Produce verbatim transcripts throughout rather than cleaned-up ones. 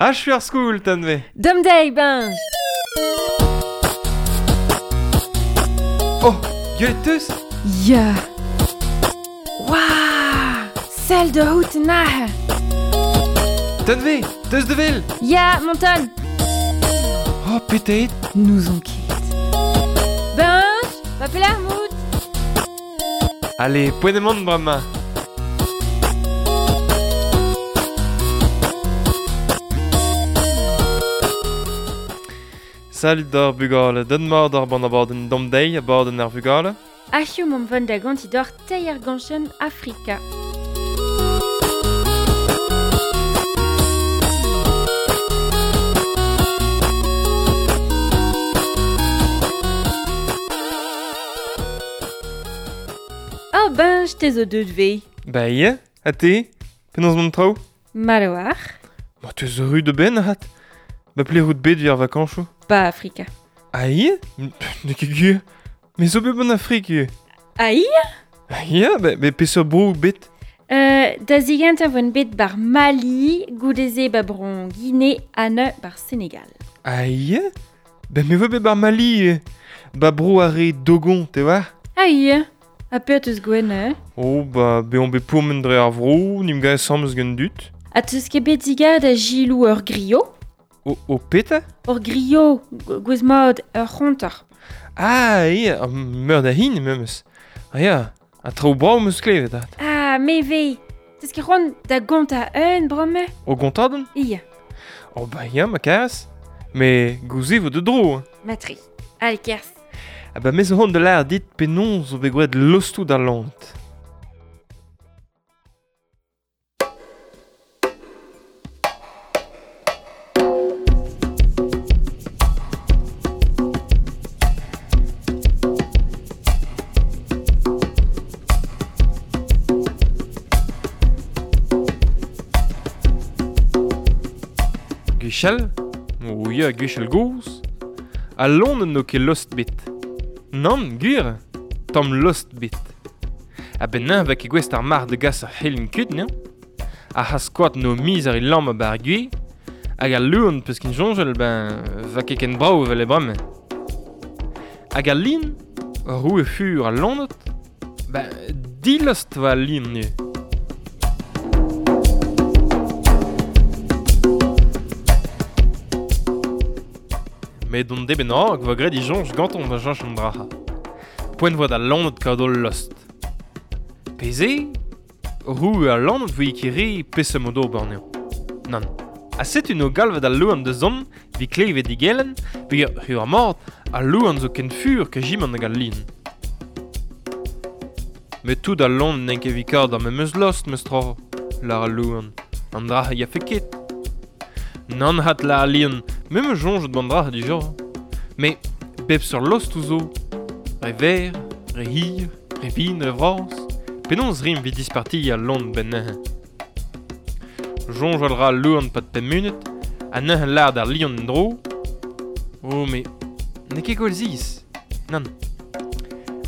Achu ar skoul, tanve. Dom dei, benj. Oh, gwelet teus? Ya. Waouh! Sell de hout nahe. Tanve, teus de vel? Ya, monton. Oh, petet. Nous on ket. Benj, va pelar mout. Allez, poent emaon bremañ. Salut d'ar bugale, den mard ar ban abadenn dom deiz abadenn ar vugale. Achiu mom vont da ganti d'or teir ganchen Afrika. Oh benj, te zo deut vei. Ba ie, ha te, penaos mont traoù? Maloar. Ma te zo ru de ben, hat. Ba ple rout bet vir vakanchoù. Ba Afrika. Ah ie? Ne ket gwir. Me zo bet ban Afrik ivez. Ah ie? Ah ie, ba, ba peseurt bro bet? Euh, da zigent a voen bet bar Mali, goudeze ba bron Guinée, anne bar Sénégal. Ah ie? Ba me vo bet bar Mali ivez. Ba bro ar re Dogon, te war? Ah ie? Ha peurt eus gwen, eh? Oh, ba beon bet pourmen dre ar vro, nim gae samz gant dut. Ha teus ket bet digad a gilou ur griot? O, o peta? Ur griot, gwez mod, ur c'honter. Ah, ie, ar meur da hin, memes. Ah ya, a traoù brav meus klevet, at. Ah, me ve. Teus ket c'hoant da gontañ un bremañ? O gontadenn? Ie. Oh ba ya, ma karas. Me gouze vo de dro. Matri. Allez, kerzh. Ah ba me zo c'hoant da lâret dit penaos zo bet gwraet lostoù d'al loened. Gwechall, o ya gwechall gozh, al loened n'o ket lost bet. Nann, gwir, tamm lost bet. A-benn va ket gouest ar mar de gas ar c'helin kuit, n'eo? Ar c'has-koad n'o miz ar e lamm a-bar gwez, hag al loen peus kin soñjal, ben, va ket ken brav evel e bremañ. Hag al lin, roue fur al loened, ben, dilost va al lin ivez. Met don deben hag va graet disoñj ganton da cheñch an dra. Poent voa da loened kaout ul lost. Peze, roue al loened voe ket re peseurt mod ober anezhañ. Nann. Ha setu no galvet al loen da zont evit klevet digelen, peogwir ur ar mort, al loen zo ken fur ke jimant hag al lin. Met tout al loened n'int ket evit kaout ar memes lost, meus tra, lâr al loen. An dra a yafe ket. Nann hat la al lin, me me soñjet ban dra dija. Mais bep seurt lost zo, re ver, re hir, re vin, re vras, penaos rim evit disparti al loen ben neuze. Soñjal ra al loen pad pemp munut, ha neuze lâr d'ar lion en-dro. Oh, mais n'eo ket gwall ziz. Nann.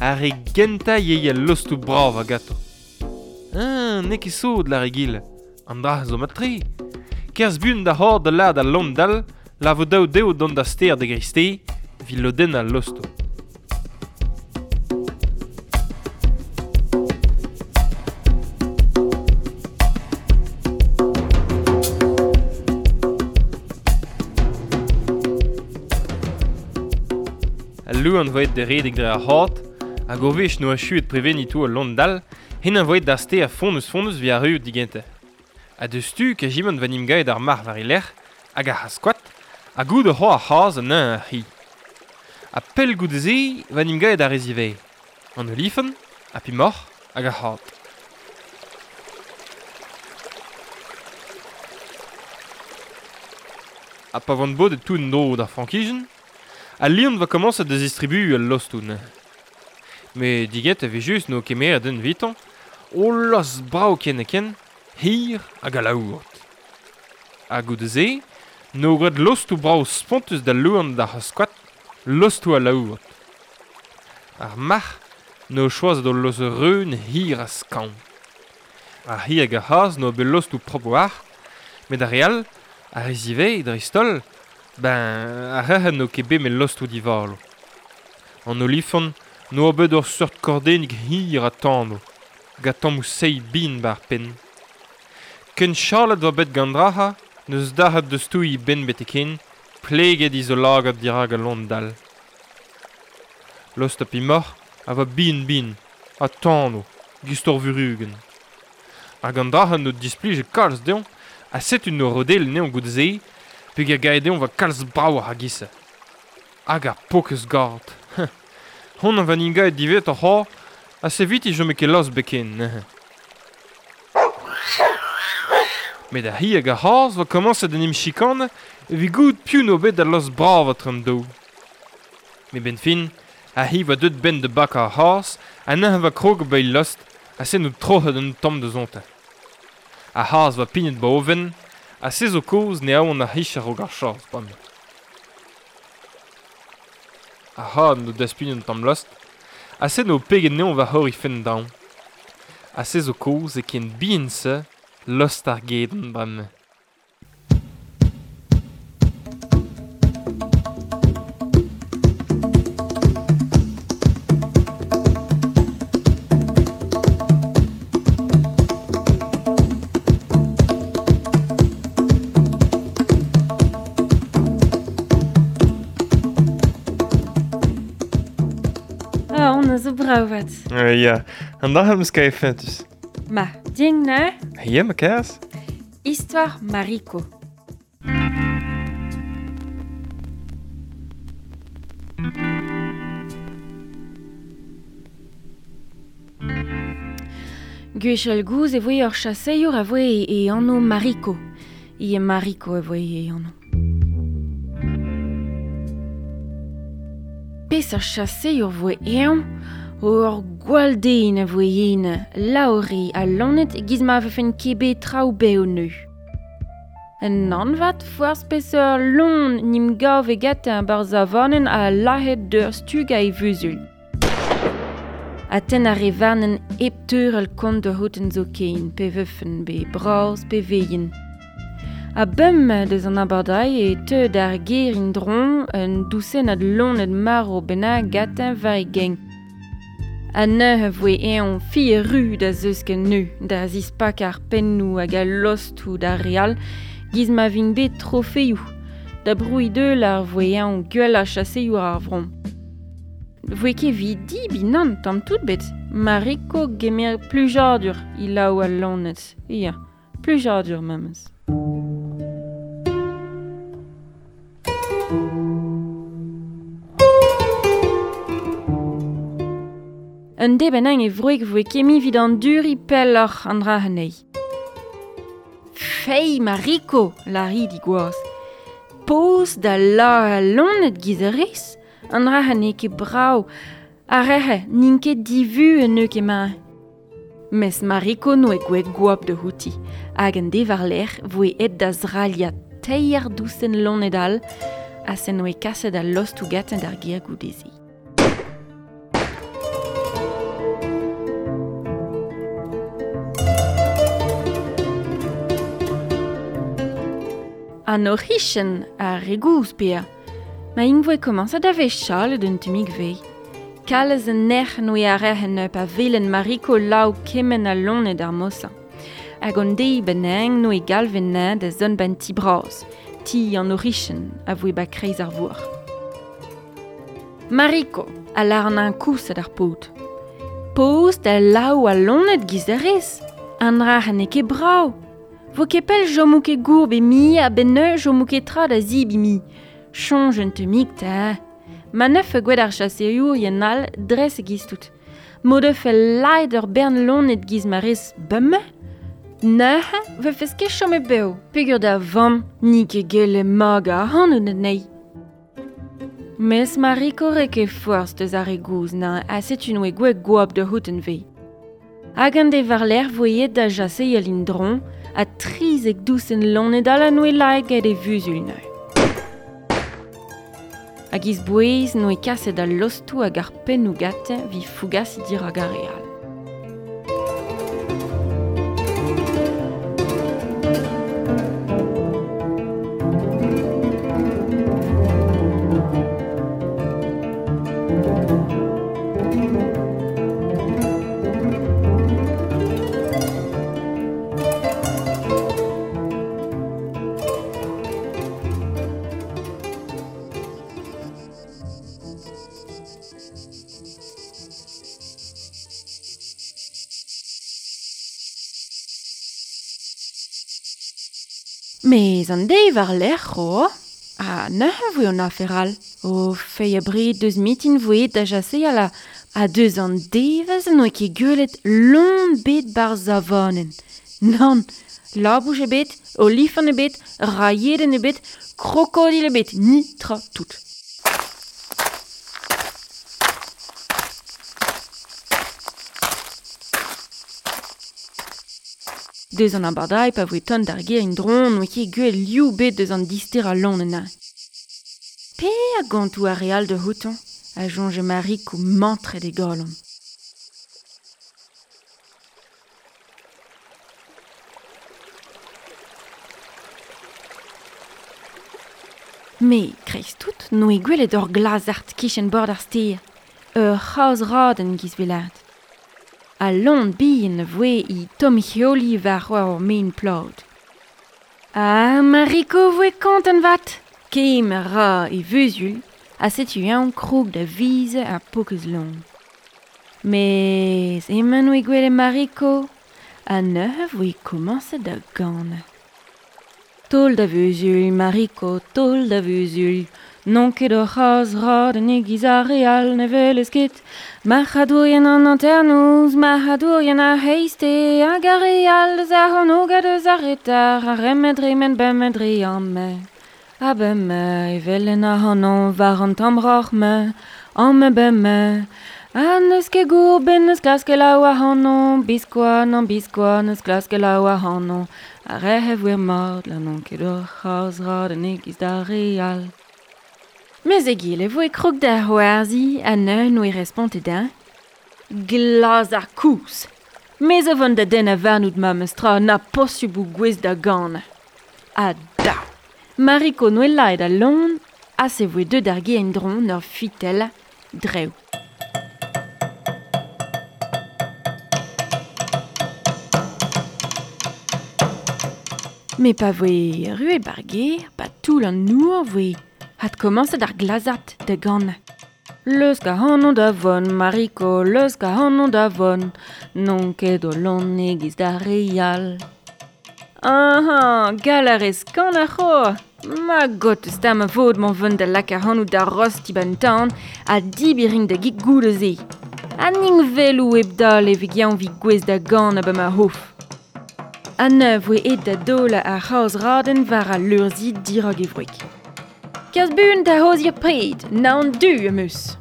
Ar re gentañ eo al lostoù brav a gato. Ah, n'eo ket sot lâr egile. An dra zo mat-tre. Kerzh buan da c'hor da lâr d'al loen dall, la vo daou dezho dont da stêr da greisteiz, evit lodennañ al lostoù. Al loen voet da redek dre ar c'had, hag ur wech n'oa achuet preveniñ tout al loen dall, hen a voet d'ar stêr fonnus-fonnus evit arruout digentañ. Ha deus tu ke jimant va nim gaet ar mar war e lec'h, hag ar c'has-koad, ha goud ur c'hoar ar c'haz an un ar c'hi. Ha pell goude-se va nim gaet ar re zivez. An olifant, ha pi moc'h, hag ar c'had. Ha pa vant bodet tout en dro d'ar frankijenn, al lion va komañset da zistribu al lostoù neuze. Met diget a vez just n'o kemeret un evitañ, o lost brav ken ha ken, hir hag alaouret. Ha goude-se, n'o graet lostoù brav spontus da loen d'ar c'has-koad, lostoù alaouret. Ar marc'h n'o choazet ul lost reun hir ha skañv. Ar c'hi hag ar c'hazh n'o bet lostoù propr war, met ar re all Ar rezivei, dreist-holl, ben, ar rec'hen n'o ket bet me lost o divalo. An olifant n'oa bet ur seurt kordennig hir a tano, gant tammoù seiz bin bar penn. Ken chalet oa bet gant draha, n'eus dac'hat deus touilh ben beteken, pleget iz o lagad dirak al lon dal. Lost a pimoc'h a va bin bin, a tano, gist ur vurugen. Hag an draha n'o displije kalz deomp, a setu n'o rodel neon goude-se, peg a gae deomp va kalz brav ar gise. Hag ar pokez gard. Hon an van inga e divet ar c'hor, a se vit i jome ket los beken. Met ar hi hag ar c'haz va komañset d'en em chikane evit goût piv n'o bet da los brav a tram daou. Met ben fin, a hi va deut ben de bak ar c'haz, ha neuze va krog ba lost, a se n'o troc'het un tamm da zontañ. Ar c'haz va pignet ba oven, ha se zo kozh ne aon ar hich a-raok ar chaz, bam. Ar c'had n'o daspugn un tamm lost, ha se n'o peget neon va c'hor fenn daon. Ha se zo kozh e ken bihan se lost ar gedenn bremañ. Ah, on a zo bravat. Uh, ya, an da eus kae fentus. Ma, ding ne? Ya, ma kaz. Histoire Mariko. Gwechall gouz e voe ur chaseour a voe e anv Mariko. Ie Mariko e voe e anv. Pes ar chaseour voe eñ, ur gwall den a voe en, laori ha lonet giz ma vefen ket bet traoù bev neu. Un anvat forzh peseurt lon n'im gav e gatañ barzh avanen a lahet d'ur stug a e vuzul. A ten ar re varnen hep teurel kont da houten zo ken, pe vefen be braz pe veien. A bem deus an abardai e teu d'ar ger in dron un dousenn ad lonet maro bennak gatañ war e geng. A neuze voe eñ fi ru da zeus ken neu, da zispak ar pennoù hag al lostoù d'ar re all, giz ma vin bet trofeioù, da brouilh deul ar voe eñ gwell a chaseioù ar vron. Voe ket vi dibi nann tamm tout bet, Mariko gemer plujadur ilaou al lonet, ia, plujadur memes. Un deben e vroeg voe kemi vid an duri pelloc'h an dra anezhi. Fei Mariko, lari di gwaz. Poz da la lonet giz a rez, an dra anezhi ket brav, ar rehe n'int ket divu en eo ket ma. Mes Mariko no e gwe gwap de houti, hag an devar lec'h voe et da zralia teir dousen lonet all, ha sen oe kaset al lost ou gaten d'ar ger goudezi. An orichen a regouz pea. Ma ing voe komañsat da vez chalet un tumig vei. Kalez an nec'h n'oe ar rec'hen up a velen Mariko laou kemen a lonet ar mosa. Hag an deiz benang n'oe galven na da zon ban ti braz, ti an orichen a voe ba kreiz ar vour. Mariko a lar an an kousat ar paotr. Poz da laou a lonet giz a rez. An rac'h n'eo ket brav. Vo ket pell jomou ket gourb e mi a ben neu jomou ket tra da zib e mi. Chonj un temik ta. Ma neuf gwed ar chaseour yen all dres e giz tout. Mod euf el laet ur bern lonet giz ma rez bumme. Neuze, vefes ket chom e bev. Pegur da vamm, ni ket gelle mag a ac'hanout anezhi. Mes Mariko re ket forzh deus ar re gouz na a setu n'oe gwe gwap da houten vei. Hag an de war-lerc'h voe da jaseal in dron, a trizek dousen lonet all a noe laet get e vuzul neu. Hag iz bouez noe kaset al lostou hag ar pennoù gate vi fougas dirag ar re all. Mez an deiz war-lerc'h o, a neuze voe an afer all. O fei a bred deus mitin voe da jaseal a, a deus an devezh n'oe ket gwelet lon bet bar zavanen. Nann, labouch ebet, olifant ebet, raieden ebet, krokodil ebet, ni tra tout. Deus an abardae pa voe ton d'ar ger in dron n'oe ket gwell liou bet deus an dister a lon en Pe a gantou ar real de houton, a jonge Mariko mantret e galon. Me, kreiz tout, n'oe gwelet ur glazart kichen bord ar steer, ur c'haoz raden giz velat. A lon bihan voe i tom heoli war ur main plod. Ah, Mariko voe kontant vat! Kem ra e vuzul, a setu an krog da vize a pokez lon. Mez emañ oe gwelet Mariko, a neuze voe komañset da ganañ. Tol da vuzul, Mariko, tol da vuzul, non ket ur c'haz raden e-giz ar re all ne welez ket. Marc'hadourien an hanternoz, marc'hadourien ar c'hreiste, hag ar re all deus ar c'hornôg ha deus ar reter, ar remed remen bemmet dre amañ. A bemme, evel en ac'hanon war an tamm roc'h-mañ, amañ bemme. Ha n'eus ket gourbenn n'eus klask laou ac'hanon, biskoazh nann biskoazh n'eus klask laou ac'hanon. Ar re voe mat, la n'on ket ur c'haz raden e-giz d'ar re all. Mez egile voe krog da c'hoarzhiñ ha neuze n'oe respontet din. Glaz ar kouz. Mez a vont da den a varnout ma meus tra na posubl ou gwez da ganañ. Ha da. Mariko n'oe laet a lon, ha se voe deut ar ger en-dro ur fitell drev. Me pa voe erruet bar ger, pa toull an nour voe hat komañset ar glazart da ganañ. Leus ac'hanon da vont, Mariko, leus ac'hanon da vont, n'on ket o lon e-giz d'ar re all. Aha, gall a rez kanañ c'ho. Ma got eus ta ma vod mañ vont da lak ac'hanout da rosti ban tan ha dibiring da gig goude-se. Ha ning velou hep dale evit yañ vi gwez da ganañ ba ma hof. A neuze voe aet da daol ar c'haoz raden war al leurzi dirak e wreg. Kas buan da c'hozir pred, naon du am eus.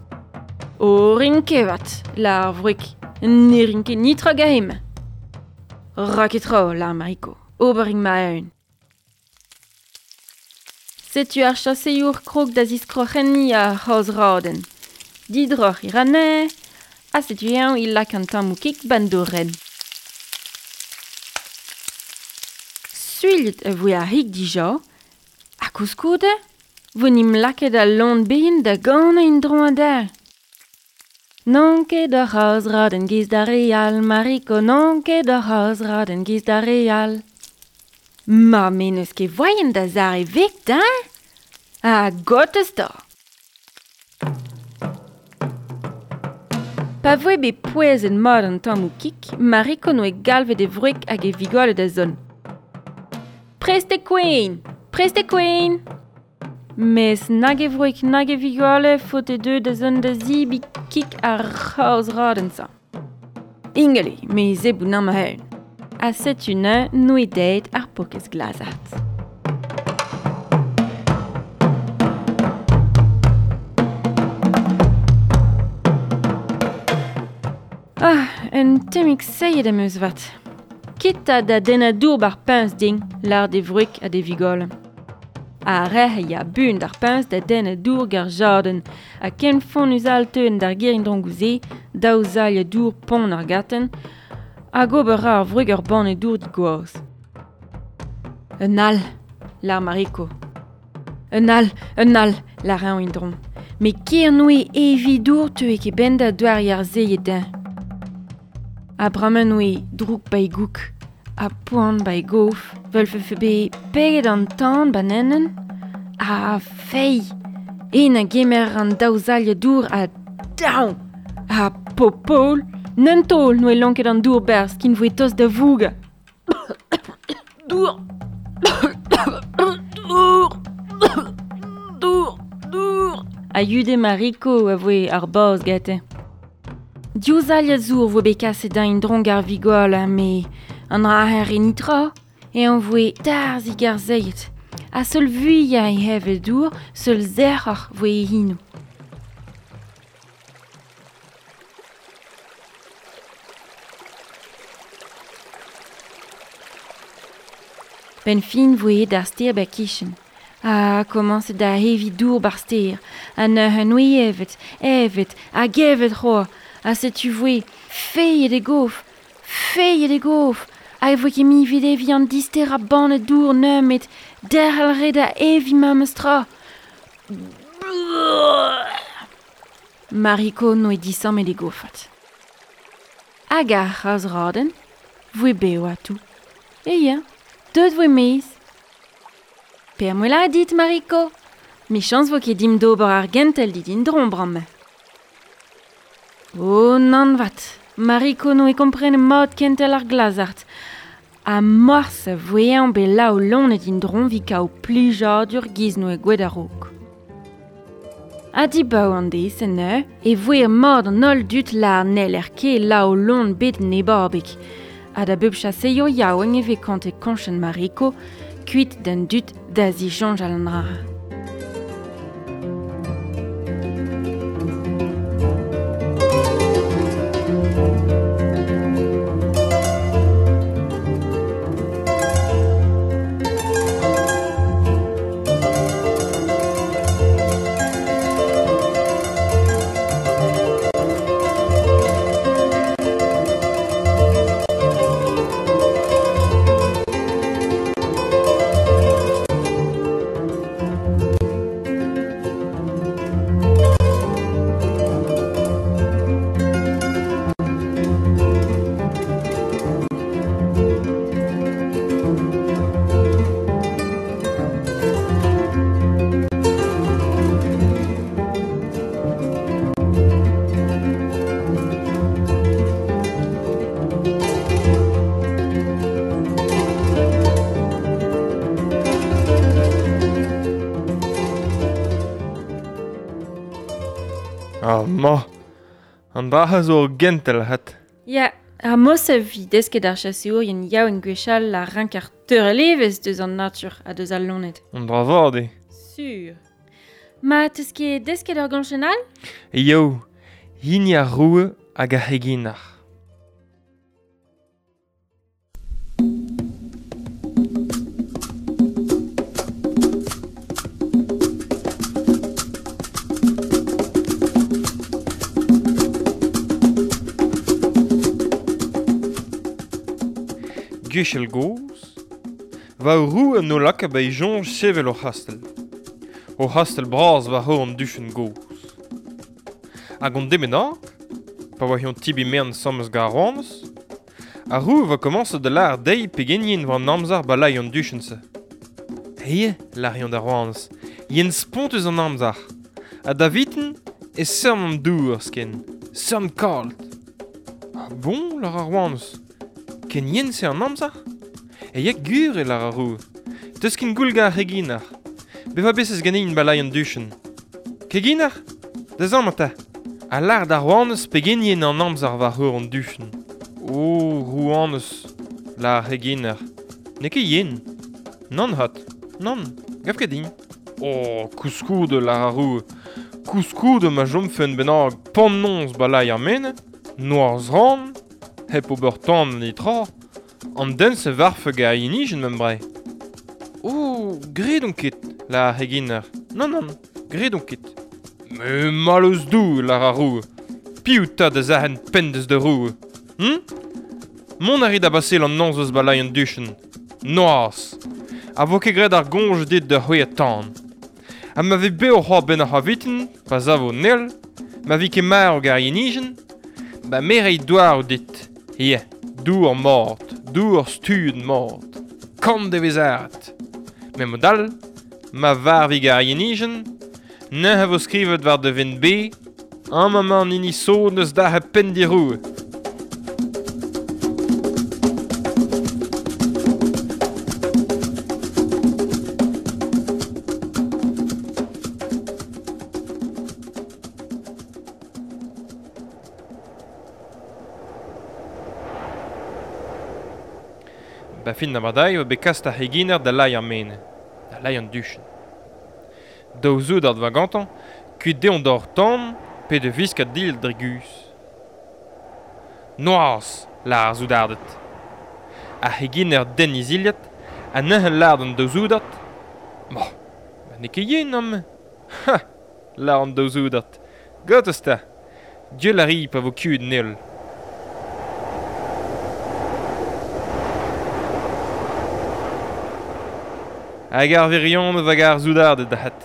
O rin kevat, lar ar wreg, ne rin ket nitra gahem. Ra ket tro, lar Mariko, ober rin ma eun. Setu ar chaseour krog da ziskroc'henni ar c'haoz raden. Didroc'h i ranne, ha setu eñ il lak an tammou kik bandoren. Suilhet a voe ar hig dija, ha koulskoude, vo nim lakaet al lon bihan da ganañ en-dro adarre. N'on ket ur c'haz raden giz d'ar re all, Mariko, n'on ket ur c'haz raden giz d'ar re all. Ma me n'eus ket voaien da zar e vekt, hein? Ha got eus ta. Pa voe bet pouezet mat an tammou kik, Mariko n'oe galvet e wreg hag e vigole da zont. Prest e kouin! Prest e kouin! Mes nag e wreg nag e vigole faote deu da zont da zibi kik ar c'haoz raden sa. Ingeli, me zebou nan ma eun. Ha setu neuze n'oe deit ar pokez glazart. Ah, un temmig seiet am eus vat. Ket a da dennañ dour bar puñs din, lar d'e wreg ha d'e vigole. A rec'h ya buan d'ar puñs da dennañ dour gar jaden, ha ken fonnus all teuen d'ar ger en-dro gouze, daou zailh dour pont ar gaten, hag ober ar wreg ur banne dour digoaz. Un all, lar Mariko. Un all, un all, lar eñ en-dro. Me ker n'oe evi dour teue ket ben da douar ar zeiet din. A bremañ n'oe drouk ba e gouk, ha poan ba e gof, veulfe be peget an tan banennen, ha fei, en a gemer an daou zailh dour ha daou, ha popol, n'un taol n'oe lonket an dour berzh kin voe tost da vougañ. Dour. Dour! Dour! Dour! A yude Mariko a voe ar boz gete. Diouz al zour voe bet kaset da in drong ar vigol, me an raher en itra, e an voe tarzik ar zeiet. A seul vuia e hevel dour, seul zerc'hoc'h voe e hinou. Ben fin voe d'ar ster ba kichen. A komañset da hevi dour bar ster, a neuze noe evet, evet, hag evet c'hoa, a setu voe feillet e gof, feillet e gof, a e voe ket mi vid evi an dister a bannet dour neumet, derc'hel re da evi memes tra. Mariko noe disammet e gofat. Hag ar c'haz raden, voe beo atou. E ya, deut voe mez. Per moela dit, Mariko. Michans vo ket dim d'ober ar gentel dit in dron bramme. Oh, nan vat. Mariko no e komprene mat kentel ar glazart. A morse voe be lao lonet in dron vi kao plijadur giz no e gwed a-raok. A di bao an dez en eur, e voe mat an holl dut la nel er ke lao lon bet nebabik. A da bep chaseio yaouenn e ve kant e konchen Mariko, kuit d'an dut da zisoñjal an dra. Ah, ma, an dra zo ur gentel hat. Ya, ar mos a vi desket ar chaseourien yaouenn gwechall a rank ar teurelevez deus an natur ha deus al lonet. An dra vat eo. Sur. Ma, teus ket desket ur gañchenn all? Eo, hini ar roue hag ar c'heginar. Gwechall gozh, va ur roue no laka ba e soñj sevel o c'hastell. O c'hastell bras war hor an duchenn gozh. Hag an demenak, pa oa hion tibi mern sammes gant ar rouanez, ar roue va komañset da lâr dezhi pegenien war an amzer ba lay an duchenn-se. He, lâr hion d'ar rouanez, yen spontus an amzer. Ha da viten e seurm an dour sken, seurm kalt. Ah bon, lâr ar rouanez, ken yen se an amzer? E ya gur e lâr ar roue. Teus ken goul gant ar c'heginar. Beva besez ganin ba lay an duchenn. Keginar? Da zamm ata. A lâr d'ar rouanez pegenien an amzer war heur an duchenn. O, rouanez, lâr ar c'heginar. N'eo ket yen. Nann hat. Nann, gav ket din. O, kouskoude, lâr ar roue. Kouskoude ma chomfen bennak pannoñs ba lay ar mene, noazh ran, hep ober tan nitra, an den se varfe ga yenijen mem bre. Oh, gret on ket, lâr ar c'heginar. Nann, nann, gret on ket. Me mallozh dou, lâr ar roue. Piv ta da zahen penn deus da roue. Hm? Mont a rit da basel an noz eus balai an duchenn. Noazh. A vo ket graet ar goñj dit da c'hwezhañ tan. Ha ma vez bev c'hoazh benn ar c'havitin, pa savo nel, ma vi ket marv gant ar yenijenn, ba me rei douar dit. Ie, dour mat, dour stud mat, kant e vez aret. Met mod all, ma varvi gant ar yenijenn, neuze vo skrivet war da vent be, amañ emañ an hini sot neus dac'het penn diroue. fin abardaez oa bet kast ar c'heginer da lai ar mene, da lai an duchenn. Daou zoudard va gantañ, kuit dezhañ d'hor tan pe de visk a dil dre guzh. Noazh, lar ar zoudarded. Ar c'heginer den iziliad, ha neuze lar d'an daou zoudard. Bo, ba n'eo ket yen amañ. Ha, lar an daou zoudard. Gortoz 'ta. Gwell a ri pa vo kuit an heol. Hag ar wirionez hag ar zoudarded da c'hat.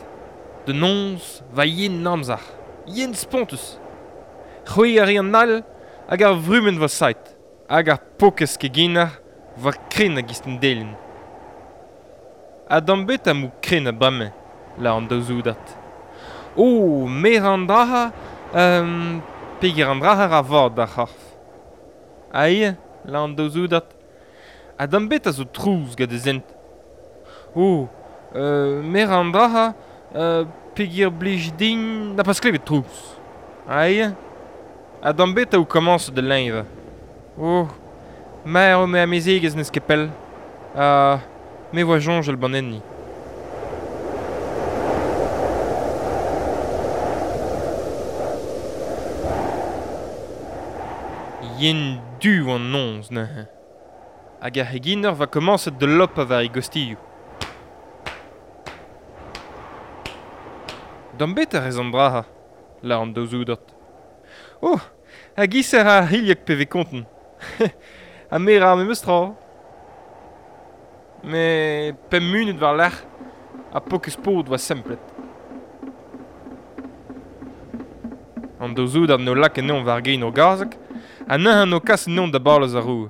Da noz va yen amzer, yen spontus. C'hwi a ri an all hag ar vrumenn va sait, hag ar pokez keginer va kren a gist an delin. Ha d'am bet am ou kren a bremañ, lar an daou zoudard. Oh, mer an draha, euh, peger an draha ra vad d'ar c'horf. Aïe, lar an daou zoudard. Ha d'am bet a zo trouz gant e zent. Oh, euh, mer an draha, euh, peger blij din, n'a pas klevet trouz. Aïe, ha d'am bet a ou komañs da leñvañ. Oh, mer o me amezegez n'eus ket pell. Ha me voa soñjal ban enni. Yen du an noz neuze. Hag ar c'heginer va komañset da lopañ war e gostilhoù. D'am bet a rez an draha, lar an daou zoudard. Oh, hag iser ar c'hilhog pe vez konten. Ha me ra memes tra. Me pemp munut war-lerc'h, ha pokez paotr va semplet. An daou zoudard n'o lak anezhañ war gein o gazeg, ha neuze n'o kas anezhañ da balez ar roue.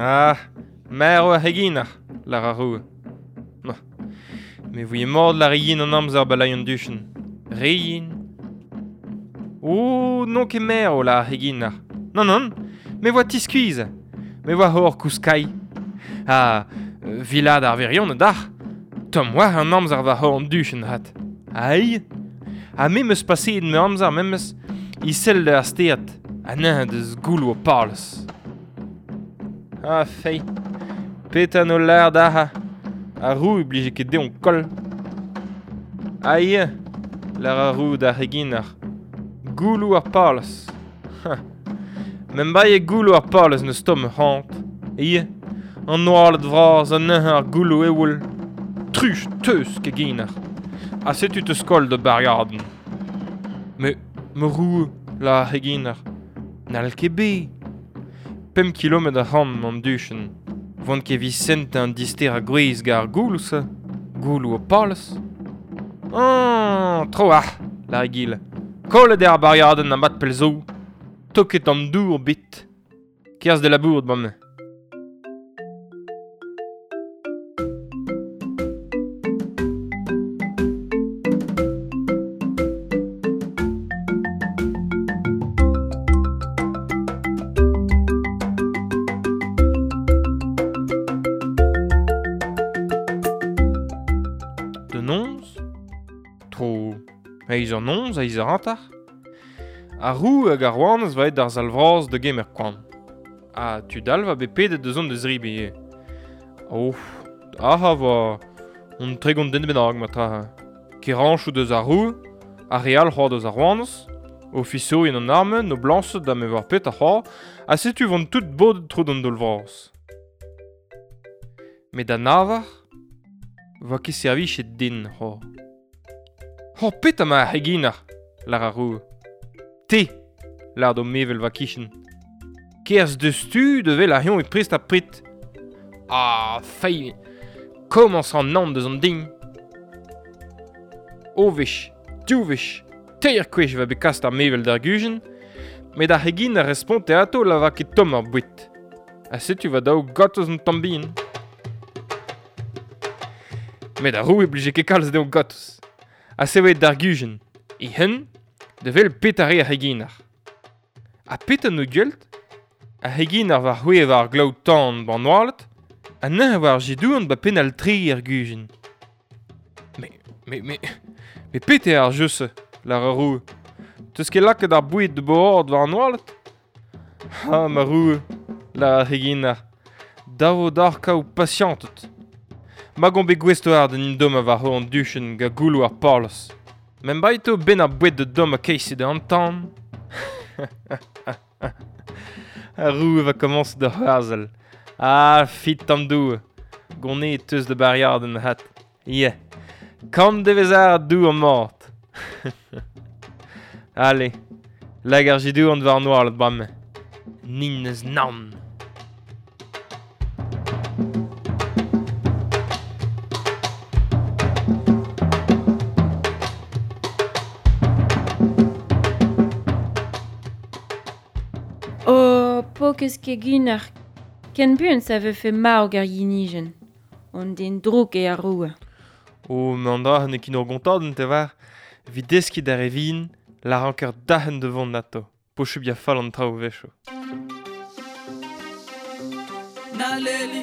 Ah, marv ar c'heginer, lar ar roue. Ma, me voie mort lar yen an amzer ba lai an duchenn. Re yen. Oh, n'on ket marv lar ar c'heginer. Non, non, me voa tiskuizh. Me voa hor kouskai. Ah, vilad ar verion d'ar. Tomm war an amzer va hor an duchenn hat. Aïe. Ha me meus paseet me amzer memes, i sell ar stead, ha neuze deus gouloù o palez. Ah, fei. Petra n'o lar d'ac'h. Ar roue blije ket dezhañ koll. Aïe, lar ar roue d'ar c'heginer. Gouloù ar palez. Ha. Mem baie gouloù ar palez n'eus tomm c'hant. Ie, an oaled vras ha neuze ar gouloù eoul. Truch teus keginer. Ha setu teus koll da bariadenn. Me, me roue, lar ar c'heginer. N'hall ket bet. Pemp kilometr a c'hant an duchenn. Vont ket Vicente an dister a gwrez gant ar gouloù-se. Gouloù o palez. Oh, tro ar, lar egile. Kollet eo ar bariadenn a mat pell zo. Toket an dour bit. Kerzh de labour bremañ. De noz, tro eizh eur noz, eizh eur hanter. Ar roue hag ar rouanez va aet d'ar sal vras da gemer koan. Ha tud all va bet pedet da zont da zribi ivez. Oh, aha va on tregont den bennak ma tra. Kerañchoù deus ar roue, ar re all c'hoar deus ar rouanez, ofisourien an arme, noblañsed ha me war pet a c'hoar, ha setu vont tout bodet tro d'an daol vras. Met da navar, va ket servichet din c'hoar. Ho petra ma ar c'heginer, lar ar roue. Te, lar d'o mevel va kichen. Kerzh deus tu de vel ar c'hion e prest ha prit. Ah, fei, komañs an naon deus an din. O wech, div wech, teir kwech va bet kast ar mevel d'ar gujenn, met ar c'hegin a responte atao la va ket tomm ar boued. Ha setu va daou gortoz an tamm bihan. Met ar roue blije ket kalz dezhañ gortoz. Ha se oa d'ar gujenn. E hen, da vel petra re ar c'heginer. Ha petra n'o gwelt? Ar c'heginer war c'hwezh war glaou tan ban oaled, ha neuze war jedouan ba penn al tre ar gujenn. Me, me, me, Me pete ar jeu-se, lar ar roue. Teus ket lakaet ar boued de board war an oaled? Ha, ma roue, lar ar c'heginer. Davo d'ar kaout pasiantet. Ma gant bet gouest ar d'an indom a war an duchen ga goulou ar parlos. Men baito ben ar boued de dom a keisi de an tan. Ar roue va komañs da c'hoarzhel. Ah, fit tamm doue. Gonne teus de bariad en hat. Yeah. Kant devez ar dou an mort. Allez, lag ar jidou an war noal bramme. Nin eus naon. Oh, pokez keginer. Ken buan sa vefe marv ar yinijen. On den drouk e ar roue. O, me an dra ne kin ur gontadenn te war. Evit deskiñ d'ar evin, la ranker dahen de vont nato. Pochub ya fall an traoù vecho. Naleli.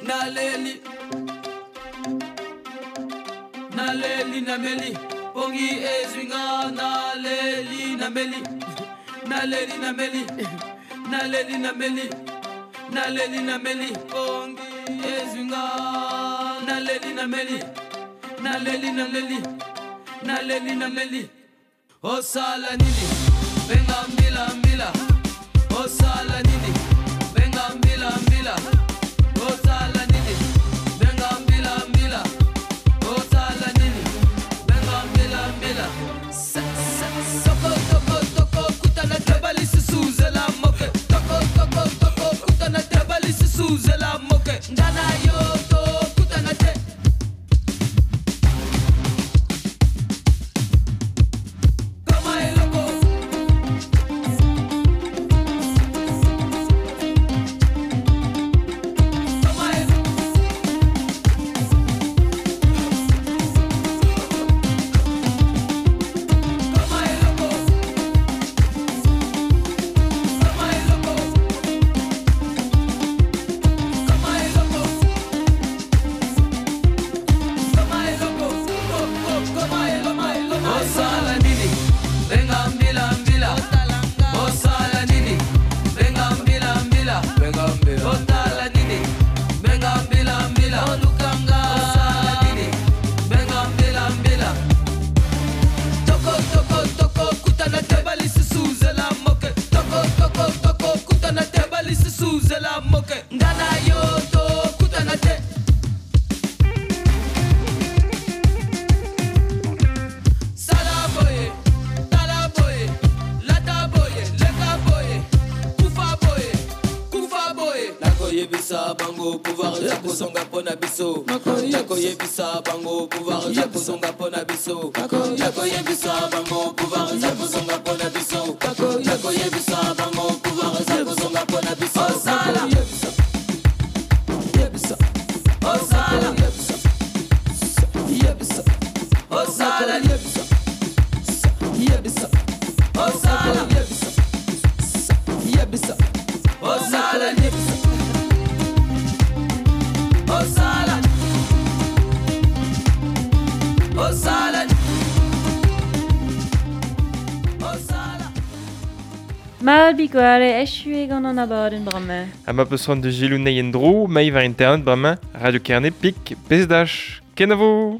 Naleli. Naleli nameli. Pongi ezwinga naleli nameli. Naleli nameli. Naleli nameli. Naleli nameli. Pongi ezwinga naleli nameli. Naleli naleli. Naleli nameli. Osala nini? Benga mbila mbila. Osala nini? Benga mbila mbila. Osala nini? Benga mbila mbila. Osala nini? Benga mbila mbila. Sa sa soko toko toko kutana trabali susuzela moke. Toko toko toko kutana trabali susuzela moke. Ndana yo to kutana te. Mal bikoale echu gant an abadenn bremañ. Ha ma peus c'hoant da selaou anezhi en-dro, mailh war internet bremañ, Radio Kerne pik, pezh dach. Kenavo!